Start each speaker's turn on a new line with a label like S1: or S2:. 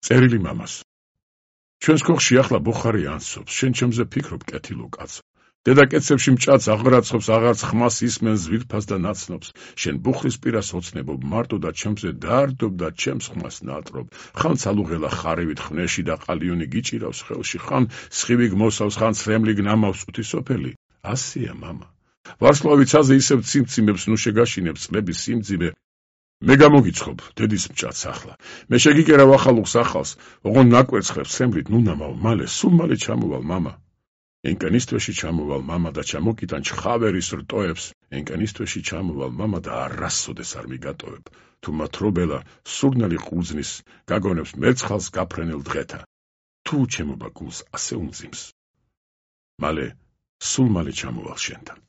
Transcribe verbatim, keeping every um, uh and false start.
S1: წერილი მამას. ჩვენს ქოხში ახლა ბუხარი ანსობს, შენ ჩემზე ფიქრობ, კეთილო კაცო. დედა კეცებში მჭაც აღრაცხობს, აღარც ხმას ისმენს ვირფას და ნაცნობს. შენ ბუხრის პირას ოცნებობ, მარტო და ჩემზე დაარდობ და ჩემს ხმას ნატრობ. ხან ცალუღელა ხარივით ხვნეში და ყალიონი გიჭირავს ხელში, ხან სხივი გმოსავს, ხან ცრემლი გნამავს წუთი სოფელი. ასია მამა. ვარსკვლავიცაზე ისევ ციმციმებს ნუ შეგაშინებს წლების სიმძიმე. მე გამოგიცხობ, დედის მჭაც ახლა. მე შეგიკერავ ახალუხს ახალს, ოღონ ნაკვერცხებს სემრით, ნუ ნამავ, მალე, სულ მალე ჩამოვალ მამა. ენკანისტვეში ჩამოვალ მამა და ჩამოკიტან ჩხავერის რტოებს, ენკანისტვეში ჩამოვალ მამა და არასოდეს არ მიგატოვებ. თუ მათრობელა სურნელი ყურძნის გაგონებს მერცხალს გაფრენილ დღეთა. თუ ჩემობა გულს ასე უმძიმს. მალე, სულ მალე ჩამოვალ შენთან.